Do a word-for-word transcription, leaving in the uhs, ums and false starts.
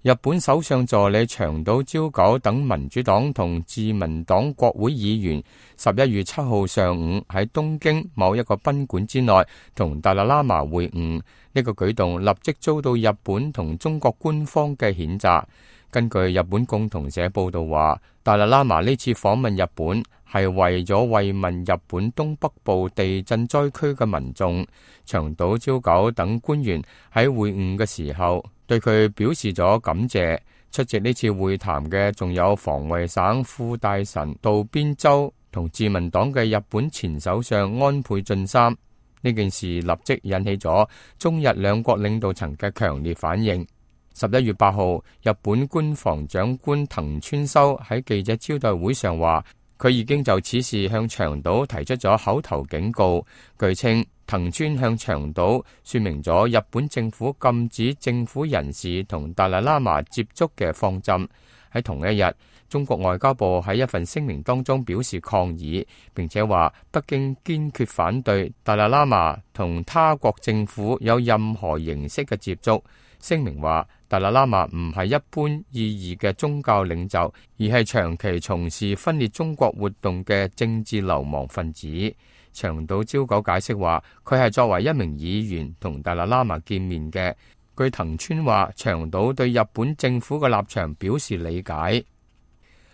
日本首相助理長島昭久等民主黨同自民黨國會議員十一月七號上午喺東京某一個賓館之內同達賴喇嘛會晤，呢個舉動立即遭到日本同中國官方嘅譴責。根據日本共同社報道話，達賴喇嘛呢次訪問日本係為咗慰問日本東北部地震災區嘅民眾。長島昭久等官員喺會晤嘅時候對佢表示咗感謝。出席呢次會談嘅仲有防衛省副大臣渡邊周同自民黨嘅日本前首相安倍晉三。呢件事立即引起咗中日兩國領導層嘅強烈反應。十一月八號，日本官房長官藤村修喺記者招待會上話，佢已經就此事向長島提出咗口頭警告。據稱，藤村向長島說明咗日本政府禁止政府人士同達賴喇嘛接觸嘅方針。喺同一日，中國外交部喺一份聲明當中表示抗議，並且話北京堅決反對達賴喇嘛同他國政府有任何形式嘅接觸。聲明話，達賴喇嘛唔係一般意義嘅宗教領袖，而係長期從事分裂中國活動嘅政治流氓分子。長島昭久解釋話，佢係作為一名議員同達賴喇嘛見面嘅。據藤村話，長島對日本政府嘅立場表示理解。